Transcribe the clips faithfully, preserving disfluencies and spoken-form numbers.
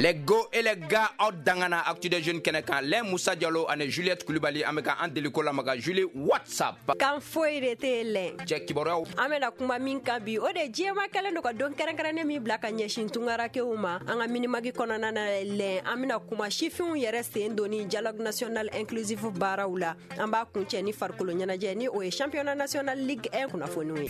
Les go et les gars, aw dangana Actu des Jeunes kɛnɛ kan. Lɛ Musa Jalo ani Juliette Kulibali, an bɛ ka an deliko lamaga. Julie, what's up? Kan foyi de tɛ lɛ. Cɛ, kibaruyaw. An bɛna kuma min kan bi, o de diɲɛma kɛlen don ka don kɛrɛnkɛrɛnnen min bila ka ɲɛsin tungarakew ma. An ka Minimagi kɔnɔna na lɛ, an bɛna kuma sifinw yɛrɛ sen donni dialogue national inclusif baaraw la. An b'a kuncɛ ni farikolo ɲɛnajɛ, ni o ye championnat national Ligue un kunnafoniw ye.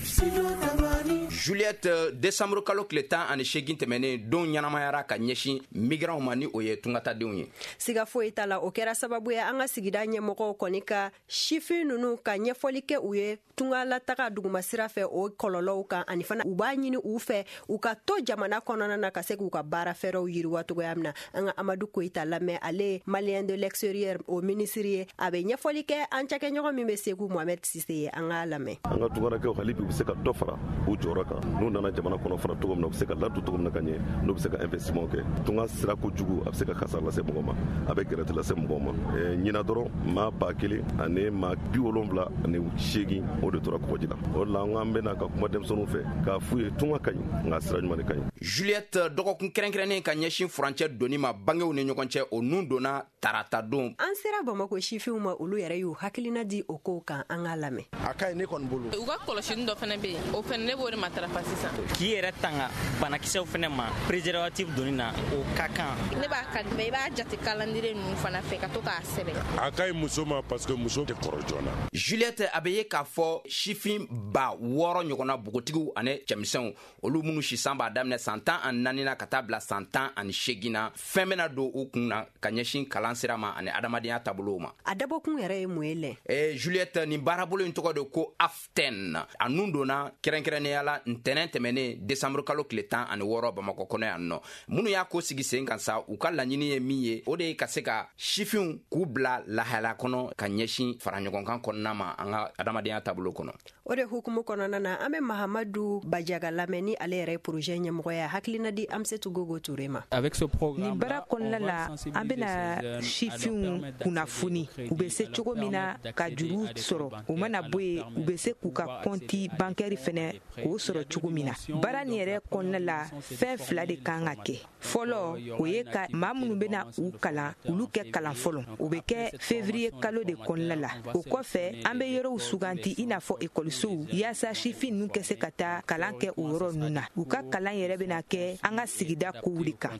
Juliette, décembre kalo tile tan ani seegin tɛmɛnen, don ɲɛnamayara ka ɲɛsin migrants ma, ni o ye tungatadenw ye. Siga foyi t'a la, o kɛra sababu ye an ka sigida ɲɛmɔgɔw kɔni ka sifin ninnu ka ɲɛfɔli kɛ u ye tungalataga duguma sira fɛ, o kɔlɔlɔw kan, ani fana u b'a ɲini u fɛ u ka to jamana kɔnɔna na ka se k'u ka baara fɛɛrɛw yiriwa cogoya min na. An ka Amadu Koyita lamɛn, ale ye Malien de l'extérieur o minisiri ye. A bɛ ɲɛfɔli kɛ an cakɛɲɔgɔn min bɛ Segu, Mohamɛd Sise ye. An k'a lamɛn. An ka tungarakɛw, hali bi, u bɛ se ka dɔ fara u jɔyɔrɔ kan n'u nana jamana kɔnɔ fara cogo min na, u bɛ se ka ladon cogo min na ka ɲɛ, n'u bɛ se ka investissement kɛ. Tunga sira kojugu, a bɛ se ka kasara lase mɔgɔ ma, a bɛ gɛrɛtɛ lase mɔgɔ ma. Ɲina dɔrɔn, maa ba kelen ani maa bi wolonwula ani seegin, o de tora kɔgɔji la. O de la an k'an bɛna ka kuma denmisɛnninw fɛ k'a f'u ye, tunga ka ɲi, nka sira ɲuman de ka ɲi. Juliette, dɔgɔkun kɛrɛnkɛrɛnnen ka ɲɛsin furancɛ donni ma bangew ni ɲɔgɔn cɛ, o nun donna tarata don. An sera Bamako sifinw ma, olu yɛrɛ y'u hakilina di o kow kan. An k'a lamɛn. A ka ɲi ne kɔni bolo. U ka kɔlɔsini dɔ fana bɛ yen, o fana ne b'o de matarafa sisan. K'i yɛrɛ tanga banakisɛw fana ma, préservatif donni na, o ka kan. Ne b'a ka, mais i b'a jate calendrier ninnu fana fɛ ka to k'a sɛbɛn. A ka ɲi muso ma parce que muso tɛ kɔrɔ joona. Juliette, a bɛ ye k'a fɔ sifin ba wɔɔrɔ ɲɔgɔnna, npogotigiw ani cɛmisɛnw, olu minnu sisan b'a daminɛ san tan ani naani na ka taa bila san tan ani seegin na, fɛn bɛna don u kun na ka ɲɛsin kalan sira ma ani adamadenya taabolow ma. A dabɔkun yɛrɛ ye mun ye lɛ? Eh, Juliette, nin baarabolo in tɔgɔ de ko AFTEN. A nun donna kɛrɛnkɛrɛnnenya la ntɛnɛn tɛmɛnen, décembre kalo tile tan ani wɔɔrɔ, Bamakɔ kɔnɔ yan nɔ. Minnu y'a ko sigi sen kan sa, u ka laɲini ye min ye, o de ye ka se ka sifinw k'u bila lahala kɔnɔ ka ɲɛsin fara ɲɔgɔnkan kɔnɔna ma an ka adamadenya taabolo kɔnɔ. O de hukumu kɔnɔna na, an bɛ Mahamadu Bajaga lamɛn, ni ale yɛrɛ ye projet ɲɛmɔgɔ ye, hakilina di Amsetu Gogo Ture ma. Nin baara kɔnɔna la, an bɛna sifinw kunnafoni u bɛ se cogo min na ka juru sɔrɔ. U mana bɔ yen, u bɛ se k'u ka compte bancaire fɛnɛ k'o sɔrɔ cogo min na. Baara nin yɛrɛ kɔnɔna la, fɛn fila de kan ka kɛ. Fɔlɔ, o ye ka maa minnu bɛna u kalan, olu kɛ kalan fɔlɔ. O bɛ kɛ février kalo de kɔnɔna la. O kɔfɛ, an bɛ yɔrɔw suganti, i n'a fɔ ekɔlisow, yaasa sifin ninnu kɛ se ka taa kalan kɛ o yɔrɔ ninnu na. U ka kalan yɛrɛ bɛna kɛ an ka sigida kow de kan.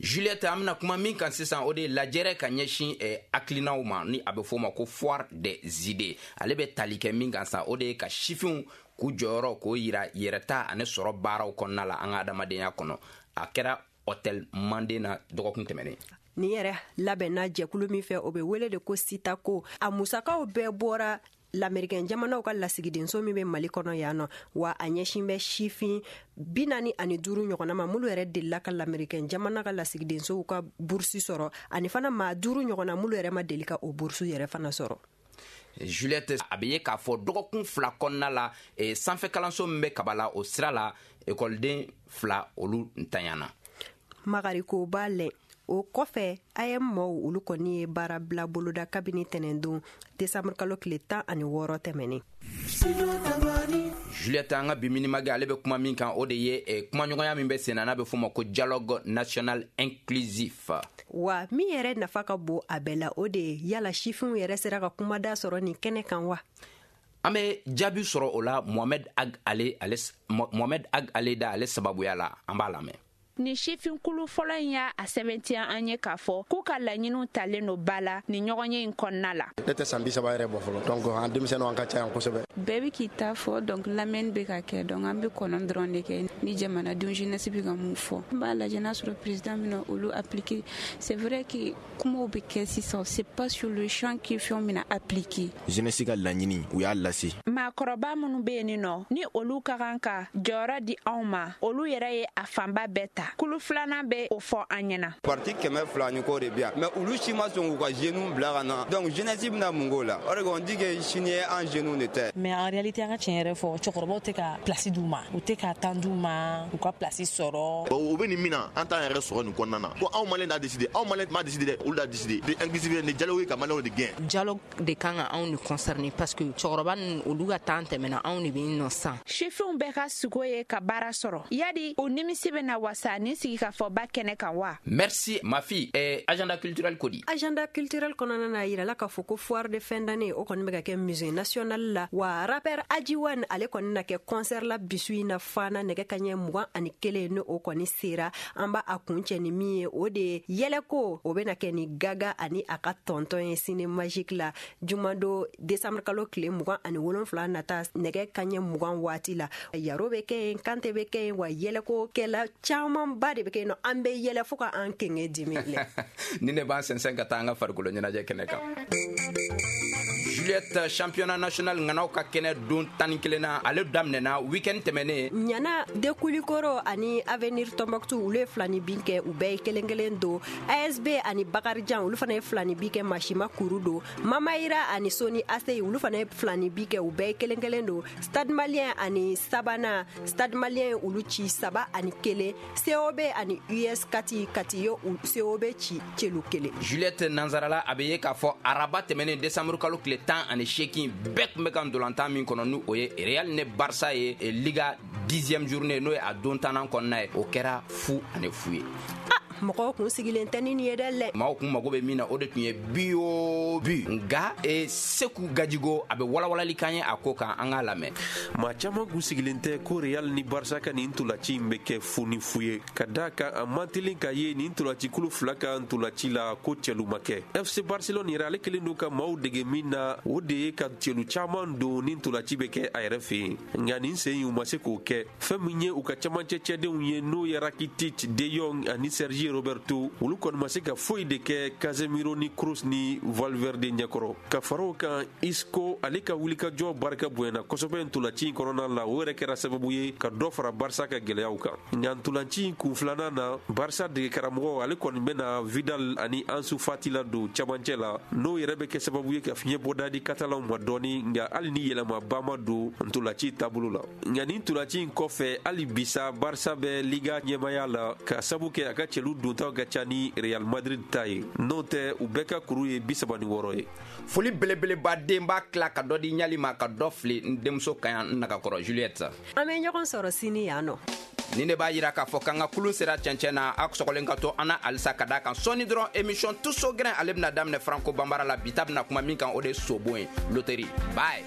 Juliette, an bɛna kuma min kan sisan, o de ye lajɛrɛ ka ɲɛsin eh, hakilinaw ma, ni a bɛ f'o ma ko Foire des idées. Ale bɛ tali kɛ min kan sa, o de ye ka sifinw k'u jɔyɔrɔ k'o yira yɛrɛta ani sɔrɔ baaraw kɔnɔna la an ka adamadenya kɔnɔ. A kɛra hôtel Manden na dɔgɔkun tɛmɛnen. Nin yɛrɛ labɛnna jɛkulu min fɛ, o bɛ wele de ko Sitako. A musakaw bɛɛ bɔra Lamerikɛn jamanaw ka lasigidenso min bɛ Mali kɔnɔ yan nɔ. Wa a ɲɛsin bɛ sifin bi naani ani duuru ɲɔgɔnna ma, minnu yɛrɛ delila ka Lamerikɛn jamana ka lasigidensow ka burusi sɔrɔ, ani fana maa duuru ɲɔgɔnna minnu yɛrɛ ma deli ka o burusu yɛrɛ fana sɔrɔ. Juliette, a bɛ ye k'a fɔ dɔgɔkun fila kɔnɔna la, eh, sanfɛ kalanso min bɛ Kabala, o sira la, ekɔliden fila, olu ntanyana. Magarikoba lɛ, o kɔfɛ A E M mɔw, olu kɔni ye baara bila boloda kabini tɛnɛndon, desanburu kalo tile tan ani wɔɔrɔ tɛmɛnen. Juliette, an ka bi Minimagi, ale bɛ kuma min kan, o de ye eh, kumaɲɔgɔnya min bɛ sen na, n'a bɛ f'o ma ko dialogue national inclusif. Wa min yɛrɛ nafa ka bon a bɛɛ la, o de ye yala sifinw yɛrɛ sera ka kumada sɔrɔ nin kɛnɛ kan wa? An bɛ jaabi sɔrɔ o la Mohamed Ag ale ale Mohamed Ag ale da ale sababuya la. An b'a lamɛn. Nin sifinkulu fɔlɔ in y'a a sɛbɛntiya an ye k'a fɔ k'u ka laɲiniw talen no ba la nin ɲɔgɔnye in kɔnɔna la. Ne tɛ san bi saba yɛrɛ bɔ fɔlɔ, donc an denmisɛnninw, an ka ca yan kosɛbɛ. Bɛɛ bɛ k'i ta fɔ, donc lamɛnni bɛ ka kɛ, donc an bɛ kɔnɔ dɔrɔn de kɛ ni jamanadenw jeunesse bɛ ka mun fɔ. N b'a lajɛ n'a sɔrɔ président bɛna olu appliquer. C'est vrai que kumaw bɛ kɛ sisan, c'est pas sur le champ que fɛnw bɛna appliquer. Jeunesse ka laɲini, u y'a lase. Maakɔrɔba minnu bɛ yen nɔ, ni olu ka kan ka jɔyɔrɔ di anw ma, olu yɛrɛ ye a fanba bɛɛ ta. Kulu filanan bɛ o fɔ an ɲɛna. Parti kɛmɛ fila ni kɔ de bi yan, mais olu si ma sɔn k'u ka jeunes bila ka na, donc jeunesse bɛna mun k'o la? O de on dit que sini ye an jeunes de tɛ. Mais en réalité, an ka tiɲɛ yɛrɛ fɔ, cɛkɔrɔbaw tɛ ka place d'u ma, u tɛ ka temps d'u ma u ka place sɔrɔ. O bɛ nin min na, an t'an yɛrɛ sɔrɔ nin kɔnɔna na ko anw Malien d'a décider. Anw Malien m'a décider dɛ, olu d'a décider de inclusive ni dialogue ka Malienw de gɛn. Dialogue de kan ka anw de concerner parce que cɛkɔrɔba ninnu, olu ka temps tɛmɛna, anw de bɛ yen nɔ sisan. Sifinw bɛɛ ka sugo ye ka baara sɔrɔ. Yadi o nimisi bɛna wasa ta nin sigikafɔba kɛnɛ kan wa? Merci ma fille. Eh, agenda culturel ko di? Agenda culturel kɔnɔna na, yirala k'a fɔ ko foire de fin d'année, o kɔni bɛ ka kɛ Musée national la. Wa rappeur Adjiwan, ale kɔni na kɛ concert la bisu in na Fana, nɛgɛ kaɲɛ mugan ani kelen ni o kɔni sera. An b'a a kun cɛ ni min ye, o de ye yɛlɛko, o bɛna kɛ ni Gaga ani a ka tɔntɔn ye Ciné Magique la, jumado décembre kalo tile mugan ani wolonfila nata, nɛgɛ kaɲɛ mugan waati la. Yaro bɛ kɛ yen, Kante bɛ kɛ yen, wa yɛlɛko kɛla camanba de bɛ kɛ yen nɔ. An bɛ yɛlɛ fo ka an kenge dimi lɛ. Ni ne b'an sɛnsɛn ka taa an ka farikolo ɲɛnajɛ kɛnɛ kan. Juliette, championnat national ŋanaw ka kɛnɛ don tan ni kelen na, ale daminɛna week-end tɛmɛnen. Ɲana de Kulikoro ani Avenir Tombouctou, olu ye filani bin kɛ, u bɛɛ ye kelen kelen don. A S B ani Bakarijan, olu fana ye filani bin kɛ, Masima kuru don. Mamayira ani Soni Aseyi, olu fana ye filani bin kɛ, u bɛɛ ye kelen kelen don. Stade Malien ani Sabana, Stade Malien olu ci saba ani kelen. C O B ani U S Kati, Kati ye C O B ci celu kelen. Juliette, nanzarala, a bɛ ye k'a fɔ araba tɛmɛnen, décembre kalo tile tan ani seegin, bɛɛ tun bɛ ka ndolantan min kɔnɔ, ni o ye Real ne Barça ye, Liga dixième journée, n'o ye a don tannan kɔnɔna ye, o kɛra fu ani fu ye. Mɔgɔw kun sigilen tɛ ni nin ye dɛ lɛ. Maaw kun mago bɛ min na, o de tun ye but o but. Nka e Seku Gajigo, a bɛ walawalali kan ye a ko kan, an k'a lamɛn. Maa caman kun sigilen tɛ ko Real ni Barça ka nin ntolaci in bɛ kɛ fu ni fu ye, ka da kan a man teli ka ye nin ntolacikulu fila ka ntolaci la ko cɛlu ma kɛ. F C Barcelone yɛrɛ, ale kelen don ka maaw dege min na, o de ye ka cɛlu caman don ni ntolaci bɛ kɛ a yɛrɛ fɛ yen. Nka nin sen in, u ma se k'o kɛ. Fɛn min ye u ka camancɛ cɛdenw ye, n'o ye Rakitic, De Jong ani Sergi Roberto, olu kɔni ma se ka foyi de kɛ Casemiro ni Kroos ni Valverde ɲɛkɔrɔ. Ka fara o kan, Isco, ale ka wulikajɔ barika bonyana kosɛbɛ ntolaci in kɔnɔna la. O yɛrɛ kɛra sababu ye ka dɔ fara Barça ka gɛlɛyaw kan. Nka ntolaci in kun filanan na, Barça dege karamɔgɔ, ale kɔni bɛna Vidal ani Ansu Fati la don camancɛ la, n'o yɛrɛ bɛ kɛ sababu ye ka fiɲɛ bɔda di Katalanw ma dɔɔni. Nka hali ni yɛlɛmaba ma don ntolaci taabolo la, nka nin ntolaci in kɔfɛ, hali bisa Barça bɛ Liga ɲɛmaya la, ka sabu kɛ a ka cɛlu dontaw ka ca ni Real Madrid ta ye. N'o tɛ, u bɛɛ ka kuru ye bi saba ni wɔɔrɔ ye. Foli belebeleba den b'a tila ka dɔ di ɲali ma, ka dɔ fili n denmuso ka yan n nagakɔrɔ Juliette. An bɛ ɲɔgɔn sɔrɔ sini yan nɔ. Ni ne b'a yira k'a fɔ k'an ka kulun sera cɛncɛn na. A sɔgɔlen ka to an na halisa, ka da kan sɔɔni dɔrɔn, émission Tuso Gɛrɛn, ale bɛna daminɛ Franco Banbara la. Bi ta bɛna kuma min kan, o de ye sobon ye, loterie. Bye.